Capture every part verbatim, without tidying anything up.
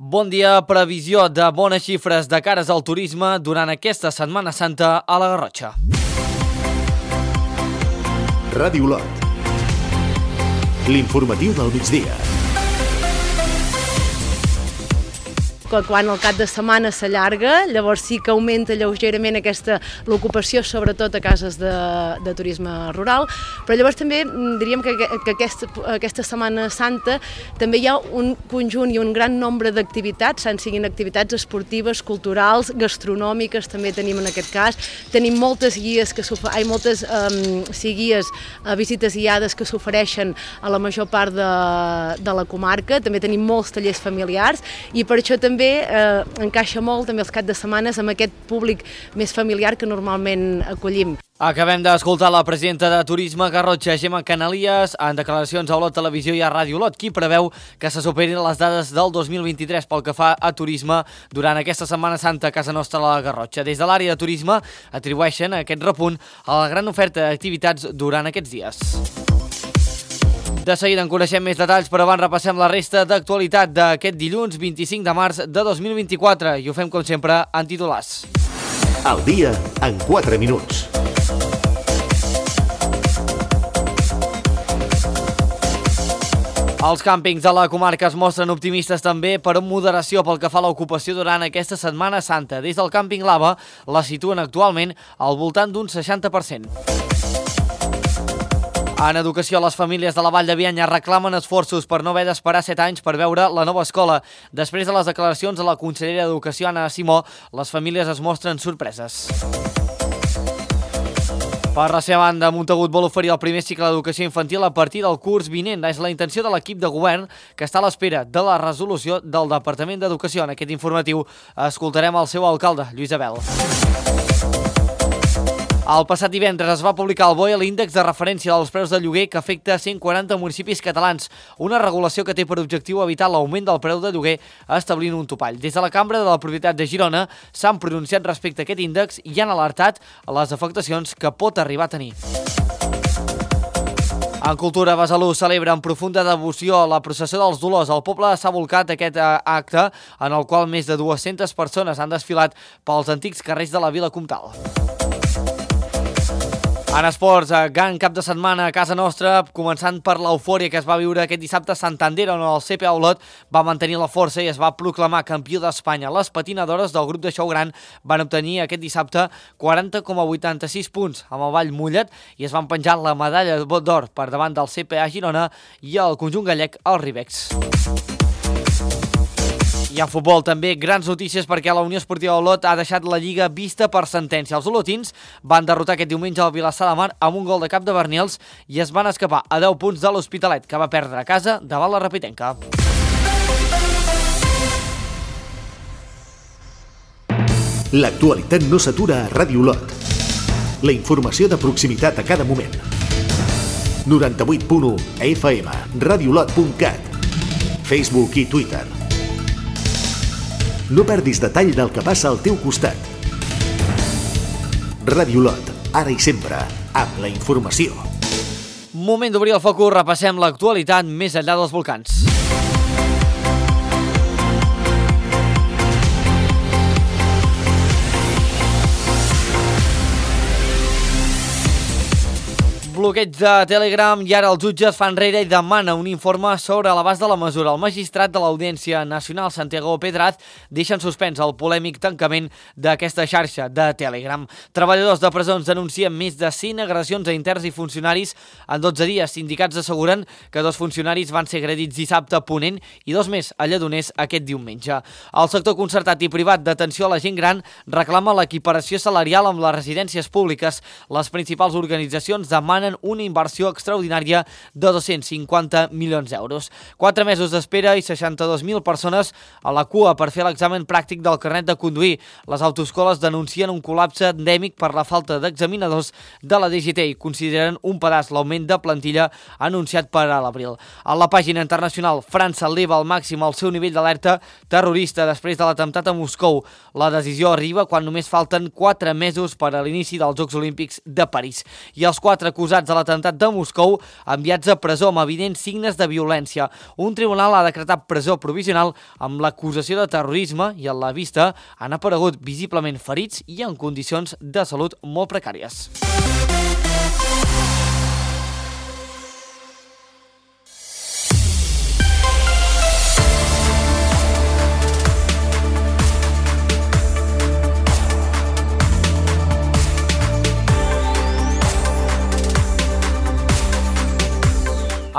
Bon dia, previsió de bones xifres de cares al turisme durant aquesta Setmana Santa a la Garrotxa. Ràdio Lot. L'informatiu del migdia. Quan el cap de setmana s'allarga, llavors sí que augmenta lleugerament aquesta l'ocupació, sobretot a cases de, de turisme rural, però llavors també diríem que, que aquesta, aquesta Setmana Santa també hi ha un conjunt i un gran nombre d'activitats, tant siguin activitats esportives, culturals, gastronòmiques, també tenim en aquest cas, tenim moltes guies que ai, moltes um, sí, guies, uh, visites guiades que s'ofereixen a la major part de, de la comarca, també tenim molts tallers familiars i per això també També eh, encaixa molt també els caps de setmanes amb aquest públic més familiar que normalment acollim. Acabem d'escoltar la presidenta de Turisme Garrotxa, Gemma Canalies, en declaracions a Olot Televisió i a Ràdio Olot, qui preveu que se superin les dades del dos mil vint-i-tres pel que fa a turisme durant aquesta Setmana Santa a casa nostra a la Garrotxa. Des de l'àrea de turisme atribueixen aquest repunt a la gran oferta d'activitats durant aquests dies. De seguida en coneixem més detalls, però abans repassem la resta d'actualitat d'aquest dilluns vint-i-cinc de març de dos mil vint-i-quatre i ho fem com sempre en titulars. El dia en quatre minuts. Els càmpings de la comarca es mostren optimistes també per una moderació pel que fa a l'ocupació durant aquesta Setmana Santa. Des del càmping Lava la situen actualment al voltant d'un seixanta per cent. En educació, les famílies de la Vall de Bianya reclamen esforços per no haver d'esperar set anys per veure la nova escola. Després de les declaracions de la consellera d'Educació, Anna Simó, les famílies es mostren sorpreses. Per la seva banda, Montagut vol oferir el primer cicle d'educació infantil a partir del curs vinent. És la intenció de l'equip de govern, que està a l'espera de la resolució del Departament d'Educació. En aquest informatiu escoltarem el seu alcalde, Lluís Abel. El passat divendres es va publicar al B O E l'índex de referència dels preus de lloguer que afecta cent quaranta municipis catalans, una regulació que té per objectiu evitar l'augment del preu de lloguer establint un topall. Des de la Cambra de la Propietat de Girona s'han pronunciat respecte a aquest índex i han alertat les afectacions que pot arribar a tenir. En cultura, Besalú celebra amb profunda devoció la processó dels Dolors. El poble s'ha volcat aquest acte en el qual més de dues-centes persones han desfilat pels antics carrers de la Vila Comtal. En esports, gran cap de setmana a casa nostra, començant per l'eufòria que es va viure aquest dissabte a Santander, on el C P A Olot va mantenir la força i es va proclamar campió d'Espanya. Les patinadores del grup de Xou Gran van obtenir aquest dissabte quaranta coma vuitanta-sis punts amb el Vall Mullet i es van penjar la medalla d'or per davant del C P A Girona i el conjunt gallec, el Ribex. I en futbol també grans notícies perquè la Unió Esportiva Olot ha deixat la Lliga vista per sentència. Els olotins van derrotar aquest diumenge al Vilassar de Mar amb un gol de cap de Bernils i es van escapar a deu punts de l'Hospitalet, que va perdre a casa davant la Rapitenca. L'actualitat no s'atura a Ràdio Olot. La informació de proximitat a cada moment. noranta-vuit punt u F M, radiolot punt cat, Facebook i Twitter. No perdis detall del que passa al teu costat. Ràdio Olot, ara i sempre, amb la informació. Moment d'obrir el focus, repassem l'actualitat més enllà dels volcans. Bloqueig de Telegram i ara els jutges fan enrere i demana un informe sobre l'abast de la mesura. El magistrat de l'Audiència Nacional, Santiago Pedraz, deixa en suspens el polèmic tancament d'aquesta xarxa de Telegram. Treballadors de presons denuncien més de cent agressions a interns i funcionaris en dotze dies. Sindicats asseguren que dos funcionaris van ser agredits dissabte a Ponent i dos més a Lledoners aquest diumenge. El sector concertat i privat d'atenció a la gent gran reclama l'equiparació salarial amb les residències públiques. Les principals organitzacions demanen una inversió extraordinària de dos-cents cinquanta milions d'euros. Quatre mesos d'espera i seixanta-dos mil persones a la cua per fer l'examen pràctic del carnet de conduir. Les autoescoles denuncien un col·lapse endèmic per la falta d'examinadors de la D G T i consideren un pedaç l'augment de plantilla anunciat per a l'abril. A la pàgina internacional, França eleva al màxim el seu nivell d'alerta terrorista després de l'atemptat a Moscou. La decisió arriba quan només falten quatre mesos per a l'inici dels Jocs Olímpics de París. I els quatre acusats de l'atemptat de Moscou enviats a presó amb evidents signes de violència. Un tribunal ha decretat presó provisional amb l'acusació de terrorisme i a la vista han aparegut visiblement ferits i en condicions de salut molt precàries.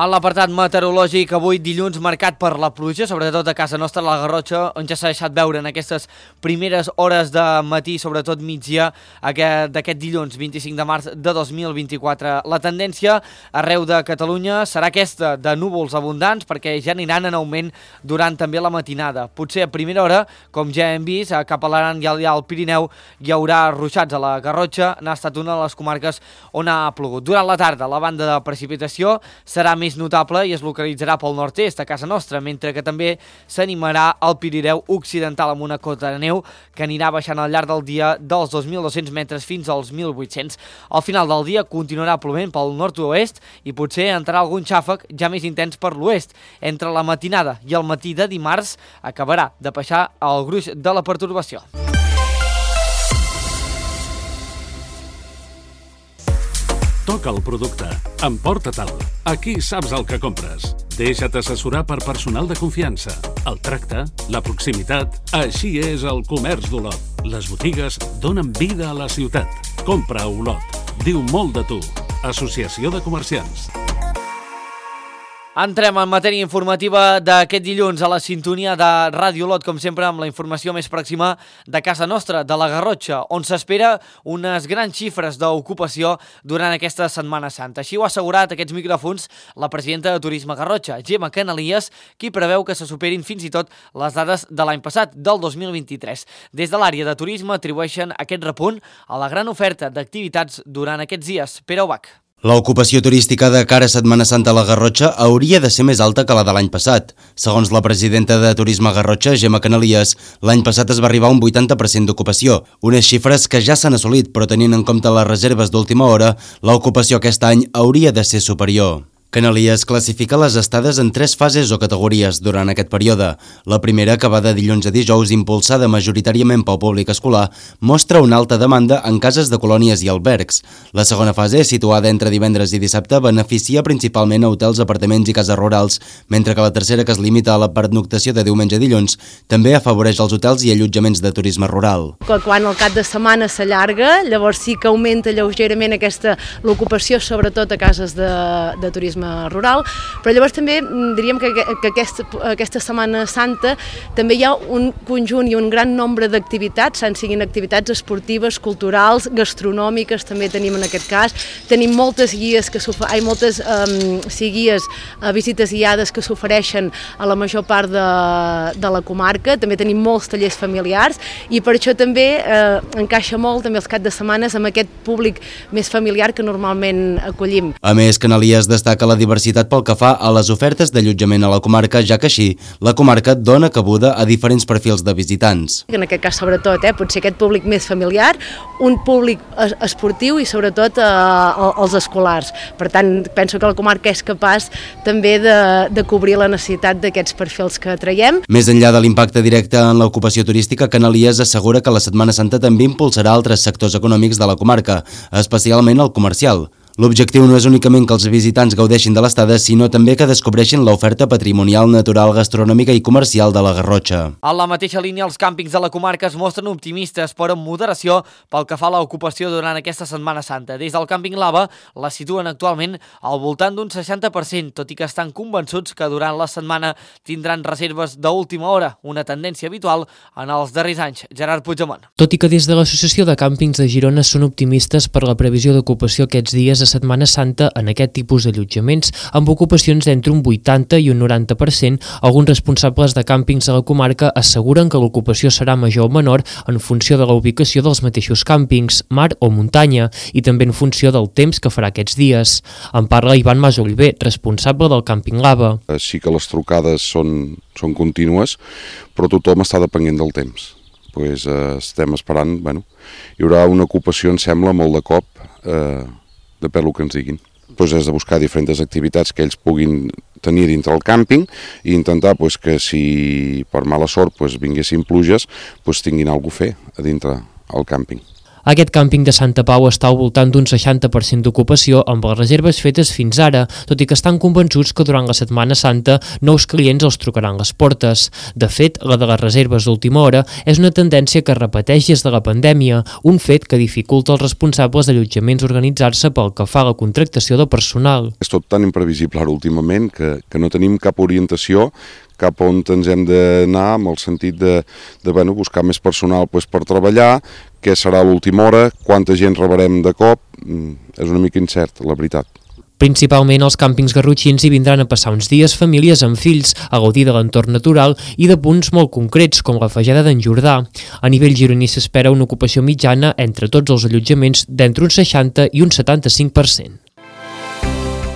En l'apartat meteorològic, avui dilluns marcat per la pluja, sobretot a casa nostra, a la Garrotxa, on ja s'ha deixat veure en aquestes primeres hores de matí, sobretot migdia, d'aquest dilluns vint-i-cinc de març de dos mil vint-i-quatre. La tendència arreu de Catalunya serà aquesta, de núvols abundants, perquè ja aniran en augment durant també la matinada. Potser a primera hora, com ja hem vist, cap a l'Aran i al Pirineu hi haurà ruixats a la Garrotxa, n'ha estat una de les comarques on ha plogut. Durant la tarda, la banda de precipitació serà més notable i es localitzarà pel nord-est a casa nostra, mentre que també s'animarà al Pirineu occidental amb una cota de neu que anirà baixant al llarg del dia dels dos mil dos-cents metres fins als mil vuit-cents. Al final del dia continuarà plovent pel nord-oest i potser entrarà algun xàfec ja més intens per l'oest. Entre la matinada i el matí de dimarts acabarà de baixar el gruix de la pertorbació. Toca el producte. Emporta-te'l. Aquí saps el que compres. Deixa't assessorar per personal de confiança. El tracte, la proximitat... Així és el comerç d'Olot. Les botigues donen vida a la ciutat. Compra a Olot. Diu molt de tu. Associació de Comerciants. Entrem en matèria informativa d'aquest dilluns a la sintonia de Ràdio Olot, com sempre, amb la informació més pròxima de casa nostra, de la Garrotxa, on s'espera unes grans xifres d'ocupació durant aquesta Setmana Santa. Així ho ha assegurat aquests micròfons la presidenta de Turisme Garrotxa, Gemma Canalies, qui preveu que se superin fins i tot les dades de l'any passat, del dos mil vint-i-tres. Des de l'àrea de turisme atribueixen aquest repunt a la gran oferta d'activitats durant aquests dies. Pere Ubach. L'ocupació turística de cara a Setmana Santa a la Garrotxa hauria de ser més alta que la de l'any passat. Segons la presidenta de Turisme Garrotxa, Gemma Canalies, l'any passat es va arribar a un vuitanta per cent d'ocupació, unes xifres que ja s'han assolit, però tenint en compte les reserves d'última hora, l'ocupació aquest any hauria de ser superior. Canalies classifica les estades en tres fases o categories durant aquest període. La primera, que va de dilluns a dijous, impulsada majoritàriament pel públic escolar, mostra una alta demanda en cases de colònies i albergs. La segona fase, situada entre divendres i dissabte, beneficia principalment a hotels, apartaments i cases rurals, mentre que la tercera, que es limita a la pernoctació de diumenge a dilluns, també afavoreix els hotels i allotjaments de turisme rural. Quan el cap de setmana s'allarga, llavors sí que augmenta lleugerament aquesta l'ocupació, sobretot a cases de, de turisme rural, però llavors també diríem que, que aquesta, aquesta Setmana Santa també hi ha un conjunt i un gran nombre d'activitats, tant siguin activitats esportives, culturals, gastronòmiques, també tenim en aquest cas, tenim moltes guies, que ai, moltes um, sí, guies, uh, visites guiades que s'ofereixen a la major part de, de la comarca, també tenim molts tallers familiars i per això també uh, encaixa molt també els caps de setmanes amb aquest públic més familiar que normalment acollim. A més, Canalies destaca la diversitat pel que fa a les ofertes d'allotjament a la comarca, ja que així la comarca dona cabuda a diferents perfils de visitants. En aquest cas, sobretot, eh, potser aquest públic més familiar, un públic esportiu i sobretot eh, els escolars. Per tant, penso que la comarca és capaç també de, de cobrir la necessitat d'aquests perfils que traiem. Més enllà de l'impacte directe en l'ocupació turística, Canalies assegura que la Setmana Santa també impulsarà altres sectors econòmics de la comarca, especialment el comercial. L'objectiu no és únicament que els visitants gaudeixin de l'estada, sinó també que descobreixin l'oferta patrimonial, natural, gastronòmica i comercial de la Garrotxa. A la mateixa línia, els càmpings de la comarca es mostren optimistes, però amb moderació pel que fa a l'ocupació durant aquesta Setmana Santa. Des del càmping Lava la situen actualment al voltant d'un seixanta per cent, tot i que estan convençuts que durant la setmana tindran reserves d'última hora, una tendència habitual en els darrers anys. Gerard Puigdemont. Tot i que des de l'Associació de Càmpings de Girona són optimistes per la previsió d'ocupació aquests dies a Setmana Santa en aquest tipus d'allotjaments, amb ocupacions d'entre un vuitanta i un noranta per cent, alguns responsables de càmpings de la comarca asseguren que l'ocupació serà major o menor en funció de la ubicació dels mateixos càmpings, mar o muntanya, i també en funció del temps que farà aquests dies. En parla Ivan Masoliver, responsable del càmping Lava. Sí que les trucades són, són contínues, però tothom està depenent del temps. Pues, eh, estem esperant, bueno, hi haurà una ocupació, em sembla, molt de cop, eh, depèn del que ens diguin. doncs és de buscar diferents activitats que ells puguin tenir dintre el càmping i intentar doncs, que si per mala sort doncs, vinguessin pluges, doncs, tinguin alguna cosa a fer a dintre el càmping. Aquest càmping de Santa Pau està al voltant d'un seixanta per cent d'ocupació amb les reserves fetes fins ara, tot i que estan convençuts que durant la Setmana Santa nous clients els trucaran les portes. De fet, la de les reserves d'última hora és una tendència que es repeteix des de la pandèmia, un fet que dificulta als responsables d'allotjaments organitzar-se pel que fa a la contractació de personal. És tot tan imprevisible ara últimament que, que no tenim cap orientació cap on ens hem d'anar amb el sentit de, de bueno, buscar més personal doncs, per treballar, què serà a l'última hora, quanta gent rebrem de cop, és una mica incert, la veritat. Principalment als càmpings garrotxins hi vindran a passar uns dies famílies amb fills, a gaudir de l'entorn natural i de punts molt concrets, com la Fageda d'en Jordà. A nivell gironí s'espera una ocupació mitjana entre tots els allotjaments d'entre un seixanta i un setanta-cinc per cent.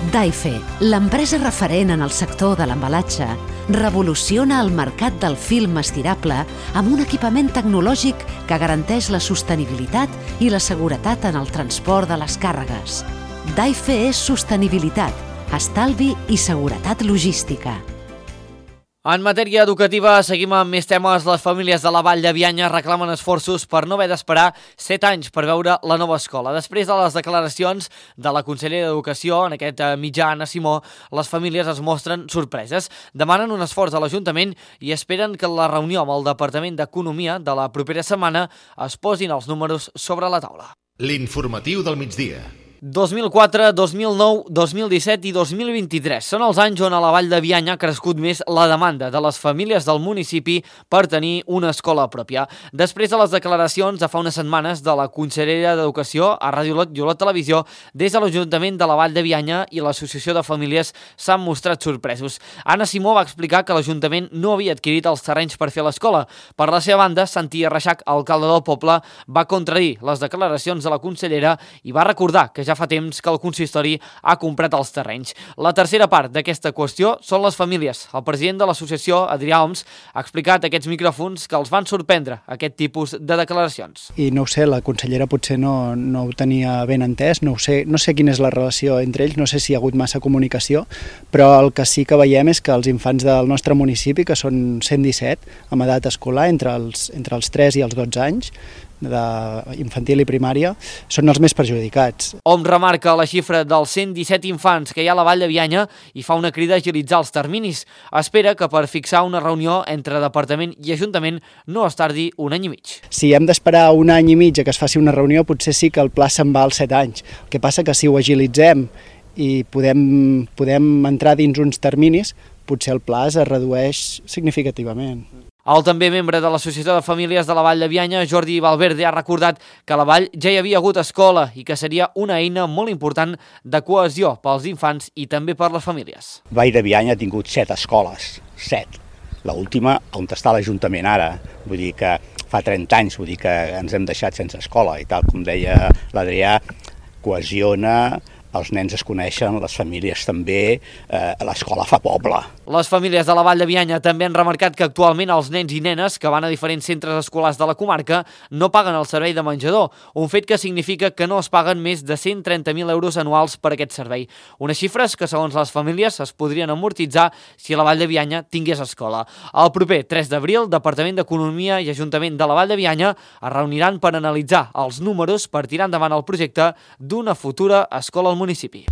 Daife, l'empresa referent en el sector de l'embalatge, revoluciona el mercat del film estirable amb un equipament tecnològic que garanteix la sostenibilitat i la seguretat en el transport de les càrregues. Daife és sostenibilitat, estalvi i seguretat logística. En matèria educativa, seguim amb més temes. Les famílies de la Vall de Bianya reclamen esforços per no haver d'esperar set anys per veure la nova escola. Després de les declaracions de la consellera d'Educació, en aquest mitjà, Anna Simó, les famílies es mostren sorpreses. Demanen un esforç a l'Ajuntament i esperen que en la reunió amb el Departament d'Economia de la propera setmana es posin els números sobre la taula. L'informatiu del migdia. dos mil quatre, dos mil nou, dos mil disset i dos mil vint-i-tres són els anys on a la Vall de Bianya ha crescut més la demanda de les famílies del municipi per tenir una escola pròpia. Després de les declaracions de fa unes setmanes de la consellera d'Educació a Ràdio Olot i Olot Televisió, des de l'Ajuntament de la Vall de Bianya i l'Associació de Famílies s'han mostrat sorpresos. Anna Simó va explicar que l'Ajuntament no havia adquirit els terrenys per fer l'escola. Per la seva banda, Santi Reixac, alcalde del poble, va contradir les declaracions de la consellera i va recordar que ja fa temps que el consistori ha comprat els terrenys. La tercera part d'aquesta qüestió són les famílies. El president de l'associació, Adrià Oms, ha explicat a aquests micròfons que els van sorprendre aquest tipus de declaracions. I no ho sé, la consellera potser no, no ho tenia ben entès, no ho sé, no sé quina és la relació entre ells, no sé si hi ha hagut massa comunicació, però el que sí que veiem és que els infants del nostre municipi, que són cent disset, amb edat escolar, entre els, entre els tres i els dotze anys, d'infantil i primària, són els més perjudicats. Hom remarca la xifra dels cent disset infants que hi ha a la Vall de Bianya i fa una crida a agilitzar els terminis. Espera que per fixar una reunió entre Departament i Ajuntament no es tardi un any i mig. Si hem d'esperar un any i mig a que es faci una reunió, potser sí que el pla se'n va als set anys. El que passa que si ho agilitzem i podem, podem entrar dins uns terminis, potser el pla es redueix significativament. El també membre de l'Associació de Famílies de la Vall de Bianya, Jordi Valverde, ha recordat que a la Vall ja hi havia hagut escola i que seria una eina molt important de cohesió pels infants i també per les famílies. Vall de Bianya ha tingut set escoles, set. L'última on està l'Ajuntament ara, vull dir que fa trenta anys, vull dir que ens hem deixat sense escola i tal com deia l'Adrià, cohesiona, els nens es coneixen, les famílies també, eh, l'escola fa poble. Les famílies de la Vall de Bianya també han remarcat que actualment els nens i nenes que van a diferents centres escolars de la comarca no paguen el servei de menjador, un fet que significa que no es paguen més de cent trenta mil euros anuals per aquest servei. Unes xifres que, segons les famílies, es podrien amortitzar si la Vall de Bianya tingués escola. El proper tres d'abril, Departament d'Economia i Ajuntament de la Vall de Bianya es reuniran per analitzar els números per tirar endavant el projecte d'una futura escola al municipi. municipi.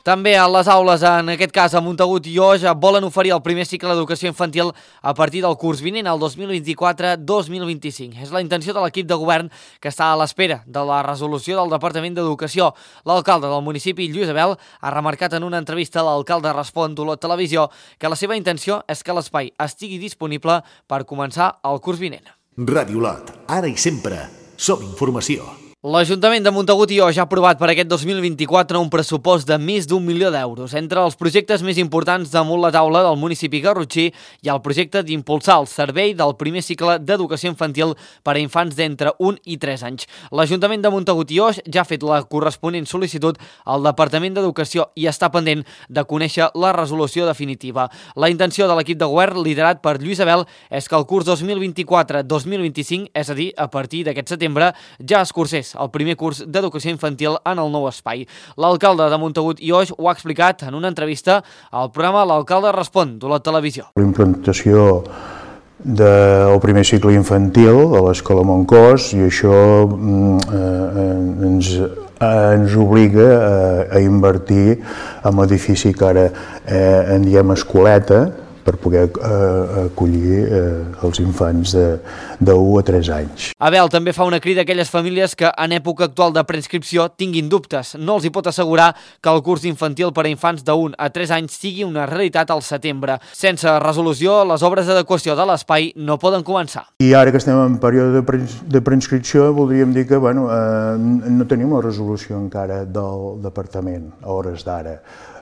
També a les aules, en aquest cas a Montagut i Oix, volen oferir el primer cicle d'educació infantil a partir del curs vinent, el dos mil vint-i-quatre dos mil vint-i-cinc. És la intenció de l'equip de govern que està a l'espera de la resolució del Departament d'Educació. L'alcalde del municipi, Lluís Abel, ha remarcat en una entrevista a l'alcalde Respon d'Olot Televisió que la seva intenció és que l'espai estigui disponible per començar el curs vinent. Ràdio Olot, ara i sempre, som informació. L'Ajuntament de Montagut i Oix ha aprovat per aquest dos mil vint-i-quatre un pressupost de més d'un milió d'euros. Entre els projectes més importants damunt la taula del municipi garrotxí hi ha el projecte d'impulsar el servei del primer cicle d'educació infantil per a infants d'entre un i tres anys. L'Ajuntament de Montagut i Oix ja ha fet la corresponent sol·licitud al Departament d'Educació i està pendent de conèixer la resolució definitiva. La intenció de l'equip de govern, liderat per Lluís Abel, és que el curs dos mil vint-i-quatre dos mil vint-i-cinc, és a dir, a partir d'aquest setembre, ja es cursés és el primer curs d'educació infantil en el nou espai. L'alcalde de Montagut i Oix ho ha explicat en una entrevista al programa L'Alcalde Respon, de la televisió. La implantació del primer cicle infantil a l'Escola Montcos, i això eh, ens, ens obliga a, a invertir en l'edifici que ara eh, en diem escoleta, per poder eh, acollir eh, els infants de, de u a tres anys. Abel també fa una crida a aquelles famílies que en època actual de preinscripció tinguin dubtes. No els hi pot assegurar que el curs infantil per a infants de un a tres anys sigui una realitat al setembre. Sense resolució, les obres d'adequació de l'espai no poden començar. I ara que estem en període de preinscripció, voldríem dir que bueno, eh, no tenim la resolució encara del departament a hores d'ara.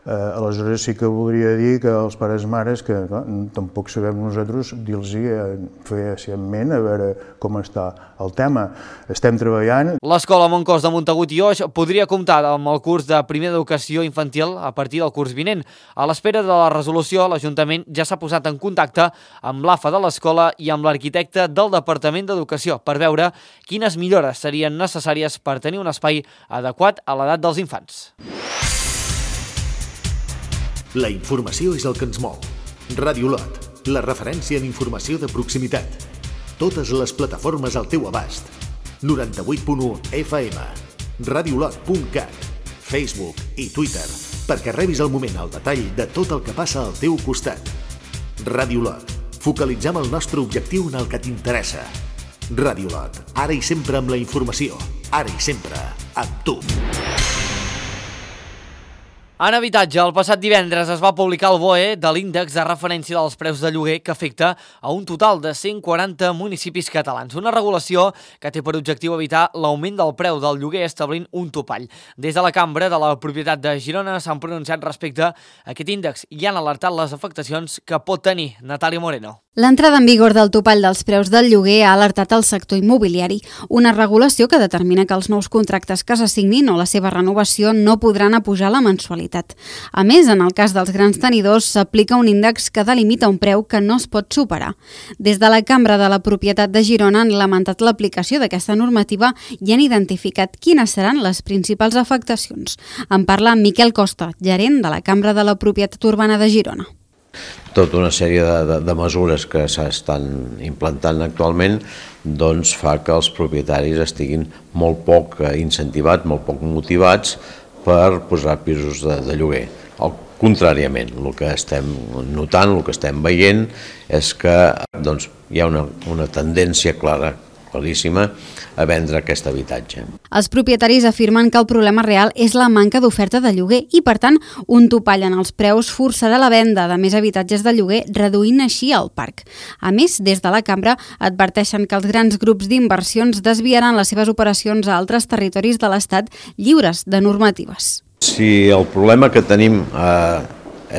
Eh, aleshores sí que voldria dir que els pares i mares, que clar, tampoc sabem nosaltres dir-los eh, fehacientment a veure com està el tema. Estem treballant. L'Escola Montcos de Montagut i Oix podria comptar amb el curs de primer d'educació infantil a partir del curs vinent. A l'espera de la resolució, l'Ajuntament ja s'ha posat en contacte amb l'A F A de l'escola i amb l'arquitecte del Departament d'Educació per veure quines millores serien necessàries per tenir un espai adequat a l'edat dels infants. La informació és el que ens mou. Ràdio Lot, la referència en informació de proximitat. Totes les plataformes al teu abast. noranta-vuit punt u F M, radiolot punt cat, Facebook i Twitter, perquè rebis al moment el detall de tot el que passa al teu costat. Ràdio Lot, focalitzem el nostre objectiu en el que t'interessa. Ràdio Lot, ara i sempre amb la informació, ara i sempre amb tu. En habitatge, el passat divendres es va publicar el B O E de l'índex de referència dels preus de lloguer que afecta a un total de cent quaranta municipis catalans. Una regulació que té per objectiu evitar l'augment del preu del lloguer establint un topall. Des de la Cambra de la Propietat de Girona s'han pronunciat respecte a aquest índex i han alertat les afectacions que pot tenir. Natàlia Moreno. L'entrada en vigor del topall dels preus del lloguer ha alertat el sector immobiliari, una regulació que determina que els nous contractes que s'assignin o la seva renovació no podran apujar la mensualitat. A més, en el cas dels grans tenidors, s'aplica un índex que delimita un preu que no es pot superar. Des de la Cambra de la Propietat de Girona han lamentat l'aplicació d'aquesta normativa i han identificat quines seran les principals afectacions. En parla Miquel Costa, gerent de la Cambra de la Propietat Urbana de Girona. Tota una sèrie de, de, de mesures que s'estan implantant actualment doncs fa que els propietaris estiguin molt poc incentivats, molt poc motivats per posar pisos de, de lloguer. El, contràriament, el que estem notant, el que estem veient és que doncs, hi ha una, una tendència clara, claríssima, a vendre aquest habitatge. Els propietaris afirmen que el problema real és la manca d'oferta de lloguer i, per tant, un topall en els preus forçarà la venda de més habitatges de lloguer, reduint així el parc. A més, des de la Cambra adverteixen que els grans grups d'inversions desviaran les seves operacions a altres territoris de l'Estat lliures de normatives. Si el problema que tenim eh,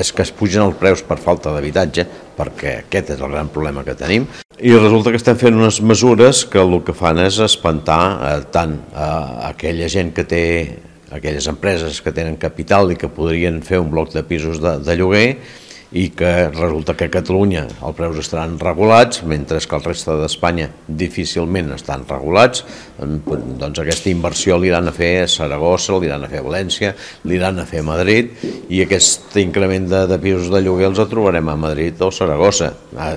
és que es pugen els preus per falta d'habitatge, perquè aquest és el gran problema que tenim, i resulta que estem fent unes mesures que el que fan és espantar eh, tant a aquella gent que té, aquelles empreses que tenen capital i que podrien fer un bloc de pisos de, de lloguer, i que resulta que a Catalunya els preus estaran regulats, mentre que el reste d'Espanya difícilment estan regulats. Doncs aquesta inversió l'aniran a fer a Saragossa, l'aniran a fer a València, l'aniran a fer a Madrid, i aquest increment de, de pisos de lloguer els trobarem a Madrid o Saragossa.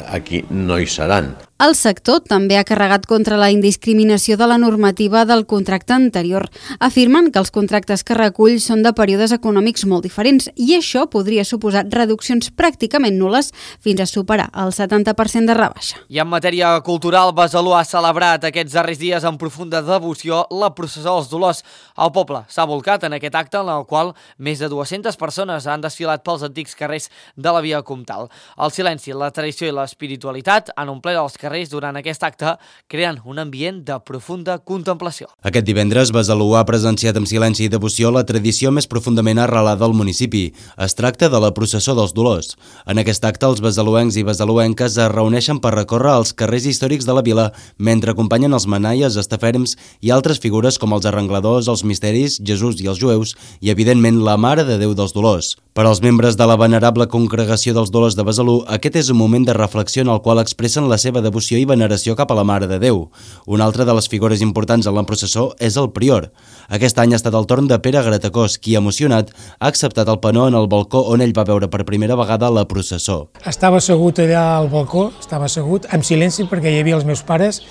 Aquí no hi seran. El sector també ha carregat contra la indiscriminació de la normativa del contracte anterior. Afirmen que els contractes que recull són de períodes econòmics molt diferents i això podria suposar reduccions pràcticament nules fins a superar el setanta per cent de rebaixa. I en matèria cultural, Besalú ha celebrat aquests darrers dies amb profunda devoció la processó dels Dolors. El poble s'ha volcat en aquest acte en el qual més de dues-centes persones han desfilat pels antics carrers de la via Comtal. El silenci, la tradició i l'espiritualitat han omplert els carrers durant aquest acte, creant un ambient de profunda contemplació. Aquest divendres, Besalú ha presenciat amb silenci i devoció la tradició més profundament arrelada al municipi. Es tracta de la processó dels Dolors. En aquest acte, els besaluencs i besaluenques es reuneixen per recórrer els carrers històrics de la vila mentre acompanyen els manaies, estaferms i altres figures com els arrengladors, els misteris, Jesús i els jueus i, evidentment, la Mare de Déu dels Dolors. Per als membres de la venerable congregació dels Dolors de Besalú, aquest és un moment de reflexió en el qual expressen la seva devoció devoció i veneració cap a la Mare de Déu. Una altra de les figures importants en la processó és el prior. Aquest any ha estat el torn de Pere Gratacós, qui, emocionat, ha acceptat el penó en el balcó on ell va veure per primera vegada la processó. Estava assegut allà al balcó, estava assegut, en silenci, perquè hi havia els meus pares,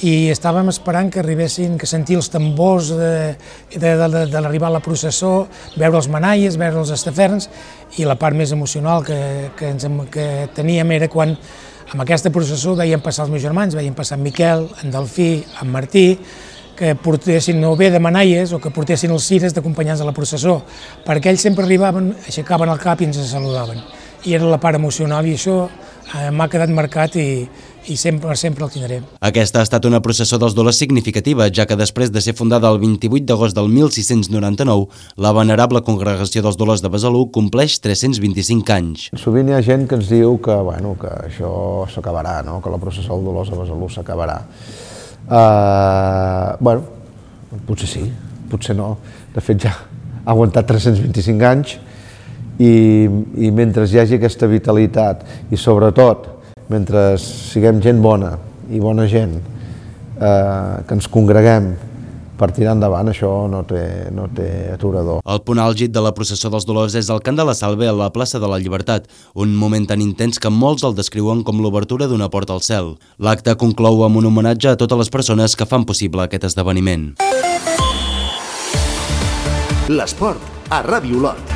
i estàvem esperant que arribessin, que sentir els tambors de, de, de, de l'arribar a la processó, veure els manaies, veure els estaferns, i la part més emocional que, que, ens, que teníem era quan amb aquesta processó veiem passar els meus germans, veiem passar en Miquel, en Delfí, en Martí, que portessin o bé de manaies o que portessin els cires d'acompanyants de la processó, perquè ells sempre arribaven, aixecaven el cap i ens saludaven. I era la part emocional i això eh, m'ha quedat marcat i, i sempre, sempre el tindré. Aquesta ha estat una processó dels dolors significativa, ja que després de ser fundada el vint-i-vuit d'agost del mil sis-cents noranta-nou, la venerable Congregació dels Dolors de Besalú compleix tres-cents vint-i-cinc anys. Sovint hi ha gent que ens diu que, bueno, que això s'acabarà, no? Que la processó dels Dolors de Besalú s'acabarà. Uh, bueno, potser sí, potser no. De fet, ja ha aguantat tres-cents vint-i-cinc anys i, i mentre hi hagi aquesta vitalitat i sobretot mentre siguem gent bona i bona gent, eh, que ens congreguem per tirar endavant, això no té, no té aturador. El punt àlgid de la processó dels Dolors és el cant de la Salve a la plaça de la Llibertat, un moment tan intens que molts el descriuen com l'obertura d'una porta al cel. L'acte conclou amb un homenatge a totes les persones que fan possible aquest esdeveniment. L'esport a Ràdio Olot.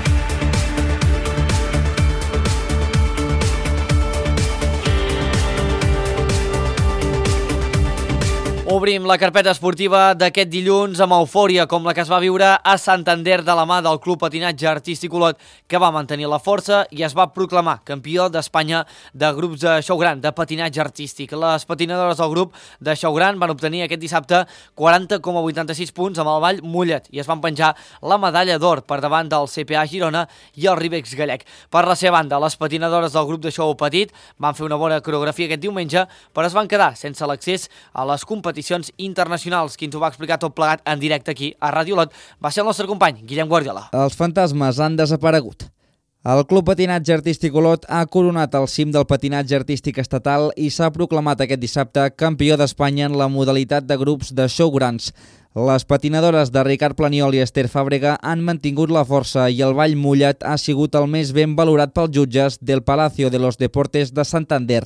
Obrim la carpeta esportiva d'aquest dilluns amb eufòria com la que es va viure a Santander de la mà del Club Patinatge Artístic Olot, que va mantenir la força i es va proclamar campió d'Espanya de grups de xou gran, de patinatge artístic. Les patinadores del grup de xou gran van obtenir aquest dissabte quaranta coma vuitanta-sis punts amb el ball Mollet i es van penjar la medalla d'or per davant del C P A Girona i el Ribex Gallec. Per la seva banda, les patinadores del grup de xou petit van fer una bona coreografia aquest diumenge, però es van quedar sense l'accés a les competicions internacionals. Qui ens ho va explicar tot plegat en directe aquí a Ràdio Olot va ser el nostre company, Guillem Guardiola. Els fantasmes han desaparegut. El Club Patinatge Artístic Olot ha coronat el cim del patinatge artístic estatal i s'ha proclamat aquest dissabte campió d'Espanya en la modalitat de grups de xou grans. Les patinadores de Ricard Planiol i Esther Fàbrega han mantingut la força i el ball mullat ha sigut el més ben valorat pels jutges del Palacio de los Deportes de Santander.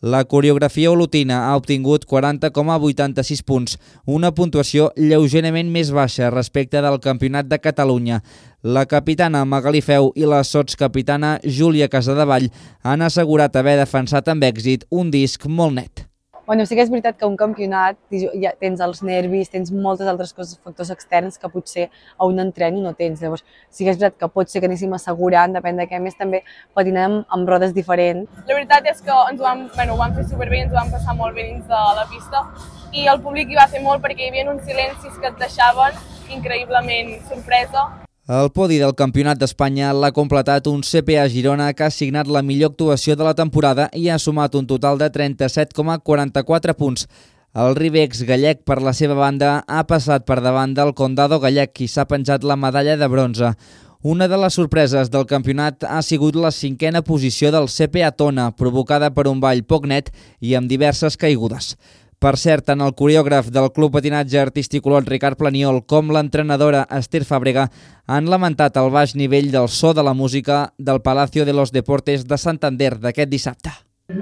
La coreografia olotina ha obtingut quaranta coma vuitanta-sis punts, una puntuació lleugerament més baixa respecte del Campionat de Catalunya. La capitana Magalí Feu i la sotscapitana Júlia Casadevall han assegurat haver defensat amb èxit un disc molt net. Bueno, sí que és veritat que un campionat ja tens els nervis, tens moltes altres coses, factors externs que potser a un entreno no tens. Llavors, sí que és veritat que pot ser que anéssim assegurant, depèn de què, més també patinem amb rodes diferents. La veritat és que ens ho vam, bueno, ho vam fer superbé, ens ho vam passar molt bé dins de la pista i el públic hi va fer molt perquè hi havia uns silencis que et deixaven increïblement sorpresa. El podi del Campionat d'Espanya l'ha completat un C P A Girona que ha signat la millor actuació de la temporada i ha sumat un total de trenta-set coma quaranta-quatre punts. El Ribex Gallec, per la seva banda, ha passat per davant del Condado Gallec, qui s'ha penjat la medalla de bronze. Una de les sorpreses del campionat ha sigut la cinquena posició del C P A Tona, provocada per un ball poc net i amb diverses caigudes. Per cert, tant el coreògraf del Club Patinatge Artístic Olot, Ricard Planiol, com l'entrenadora Esther Fàbrega han lamentat el baix nivell del so de la música del Palacio de los Deportes de Santander d'aquest dissabte.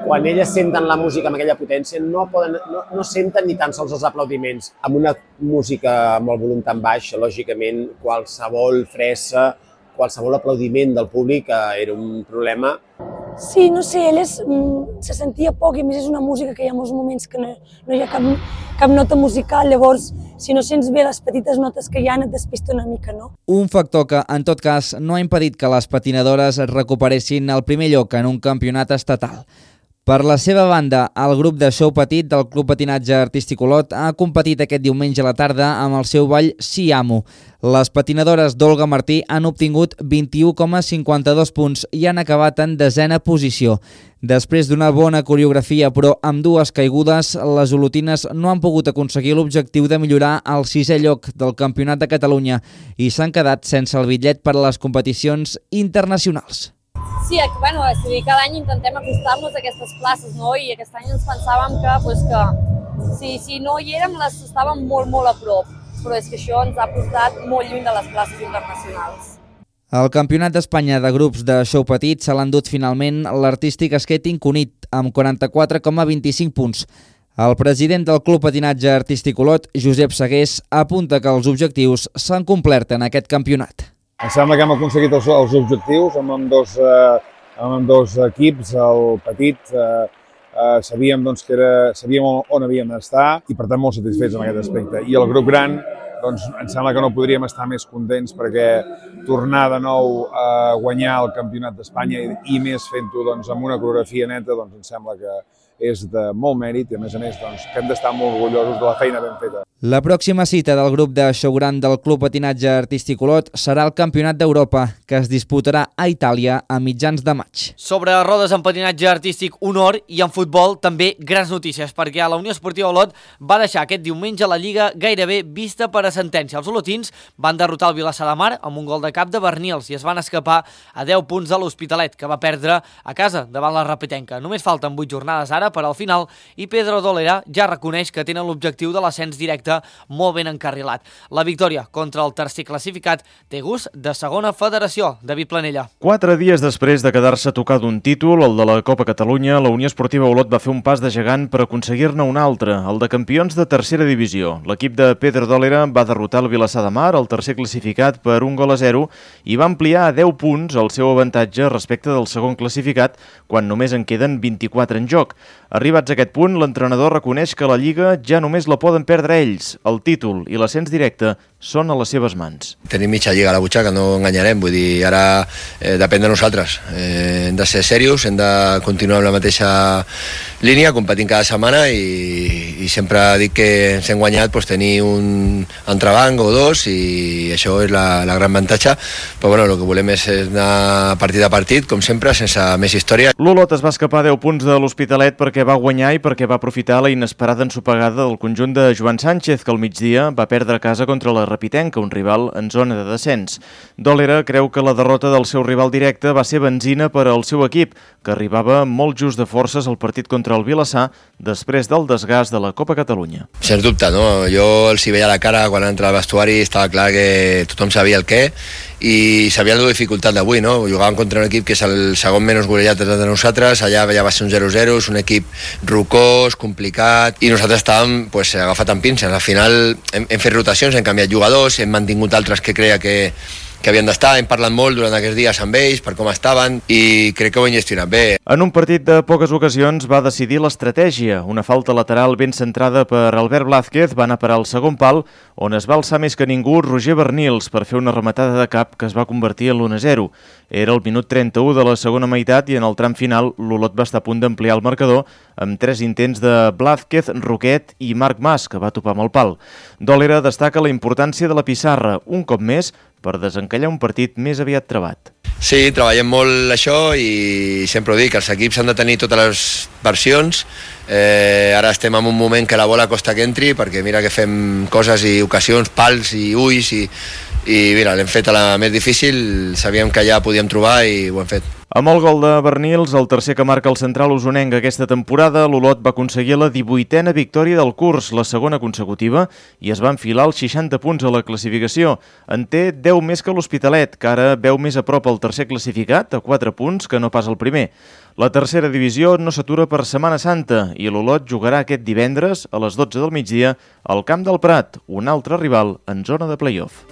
Quan elles senten la música amb aquella potència no, poden, no, no senten ni tan sols els aplaudiments. Amb una música amb el volum tan baix, lògicament, qualsevol fressa, qualsevol aplaudiment del públic era un problema. Sí, no sé, elles mm, se sentia poc i a més és una música que hi ha molts moments que no, no hi ha cap, cap nota musical, llavors si no sents bé les petites notes que hi ha et despista una mica, no? Un factor que, en tot cas, no ha impedit que les patinadores es recuperessin el primer lloc en un campionat estatal. Per la seva banda, el grup de xou petit del Club Patinatge Artístic Olot ha competit aquest diumenge a la tarda amb el seu ball Si Amo. Les patinadores d'Olga Martí han obtingut vint-i-u coma cinquanta-dos punts i han acabat en desena posició. Després d'una bona coreografia, però amb dues caigudes, les olotines no han pogut aconseguir l'objectiu de millorar el sisè lloc del Campionat de Catalunya i s'han quedat sense el bitllet per a les competicions internacionals. Sí, bueno, és a dir, cada any intentem acostar-nos a aquestes places, no? I aquest any ens pensàvem que, pues, que si, si no hi érem, les estàvem molt, molt a prop, però és que això ens ha portat molt lluny de les places internacionals. El Campionat d'Espanya de grups de show petit se l'ha endut finalment l'Artístic Skating Cunit, amb quaranta-quatre coma vint-i-cinc punts. El president del Club Patinatge Artístic Olot, Josep Segués, apunta que els objectius s'han complert en aquest campionat. Em sembla que hem aconseguit els, els objectius amb, amb, dos, eh, amb dos equips, el petit, eh, eh, sabíem, doncs, que era, sabíem on, on havíem d'estar i per tant molt satisfets en aquest aspecte. I el grup gran, doncs, em sembla que no podríem estar més contents perquè tornar de nou a guanyar el Campionat d'Espanya i, i més fent-ho doncs, amb una coreografia neta, doncs, em sembla que és de molt mèrit i a més a més doncs, que hem d'estar molt orgullosos de la feina ben feta. La pròxima cita del grup de show gran del Club Patinatge Artístic Olot serà el Campionat d'Europa, que es disputarà a Itàlia a mitjans de maig. Sobre rodes en patinatge artístic, honor, i en futbol també grans notícies, perquè la Unió Esportiva Olot va deixar aquest diumenge la Lliga gairebé vista per a sentència. Els olotins van derrotar el Vilassar de Mar amb un gol de cap de Bernils i es van escapar a deu punts de l'Hospitalet, que va perdre a casa davant la Rapitenca. Només falten vuit jornades ara per al final i Pedro Dolera ja reconeix que tenen l'objectiu de l'ascens directe molt ben encarrilat. La victòria contra el tercer classificat té gust de segona federació. David Planella. Quatre dies després de quedar-se a tocar d'un títol, el de la Copa Catalunya, la Unió Esportiva Olot va fer un pas de gegant per aconseguir-ne un altre, el de campions de tercera divisió. L'equip de Pedro Dolera va derrotar el Vilassar de Mar, el tercer classificat, per un gol a zero i va ampliar a deu punts el seu avantatge respecte del segon classificat, quan només en queden vint-i-quatre en joc. Arribats a aquest punt, l'entrenador reconeix que la Lliga ja només la poden perdre ells. El títol i l'ascens directe són a les seves mans. Tenim mitja lliga a la butxaca, no enganyarem, vull dir, ara eh, depèn de nosaltres. Eh, hem de ser serios, hem de continuar amb la mateixa línia, competint cada setmana i, i sempre dic que ens hem guanyat pues, tenir un entrebanc o dos i això és la, la gran avantatge, però bueno, el que volem és anar partit a partit, com sempre, sense més història. L'Olot es va escapar a deu punts de l'Hospitalet perquè va guanyar i perquè va aprofitar la inesperada ensopegada del conjunt de Joan Sánchez, que al migdia va perdre a casa contra la Rapitenca, un rival en zona de descens. Dolera creu que la derrota del seu rival directe va ser benzina per al seu equip, que arribava molt just de forces al partit contra el Vilassar després del desgast de la Copa Catalunya. Sens dubte, no? Jo els hi veia la cara quan entra al vestuari, estava clar que tothom sabia el què i sabia la dificultat d'avui, no? Jugàvem contra un equip que és el segon menys golejat de nosaltres, allà ja va ser un zero zero, és un equip rocós, complicat, i nosaltres estàvem pues, agafat amb pinces. Al final hem, hem fet rotacions, hem canviat jugadors, hem mantingut altres que creia que, que havien d'estar, hem parlat molt durant aquests dies amb ells, per com estaven, i crec que ho hem gestionat bé. En un partit de poques ocasions va decidir l'estratègia. Una falta lateral ben centrada per Albert Blázquez va anar per al segon pal, on es va alçar més que ningú Roger Bernils per fer una rematada de cap que es va convertir en l'u a zero. Era el minut trenta-u de la segona meitat i en el tram final l'Olot va estar a punt d'ampliar el marcador amb tres intents de Blázquez, Roquet i Marc Mas, que va topar amb el pal. Dolera destaca la importància de la pissarra, un cop més, per desencallar un partit més aviat trabat. Sí, treballem molt això i sempre ho dic, els equips han de tenir totes les versions. Eh, ara estem en un moment que la bola costa que entri, perquè mira que fem coses i ocasions, pals i ulls, i, i mira, l'hem fet a la més difícil, sabíem que ja podíem trobar i ho hem fet. Amb el gol de Bernils, el tercer que marca el central usonenc aquesta temporada, l'Olot va aconseguir la divuitena victòria del curs, la segona consecutiva, i es va enfilar els seixanta punts a la classificació. En té deu més que l'Hospitalet, que ara veu més a prop el tercer classificat, a quatre punts, que no pas el primer. La tercera divisió no s'atura per Setmana Santa i l'Olot jugarà aquest divendres a les dotze del migdia al Camp del Prat, un altre rival en zona de play-off.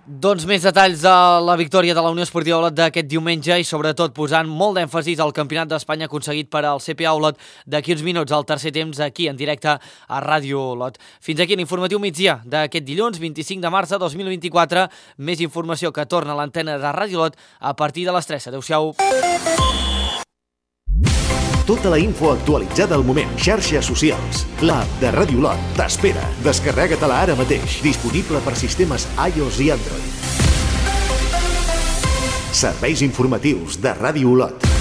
Doncs més detalls de la victòria de la Unió Esportiva Olot d'aquest diumenge i sobretot posant molt d'èmfasis al Campionat d'Espanya aconseguit per al C P A Olot d'aquí uns minuts al tercer temps aquí en directe a Ràdio Olot. Fins aquí l'informatiu migdia d'aquest dilluns vint-i-cinc de març de dos mil vint-i-quatre. Més informació que torna a l'antena de Ràdio Olot a partir de les tres. Adéu-siau. Tota la info actualitzada al moment. Xarxes socials. L'app de Ràdio Olot t'espera. Descarrega-te-la ara mateix. Disponible per sistemes iOS i Android. Serveis informatius de Ràdio Olot.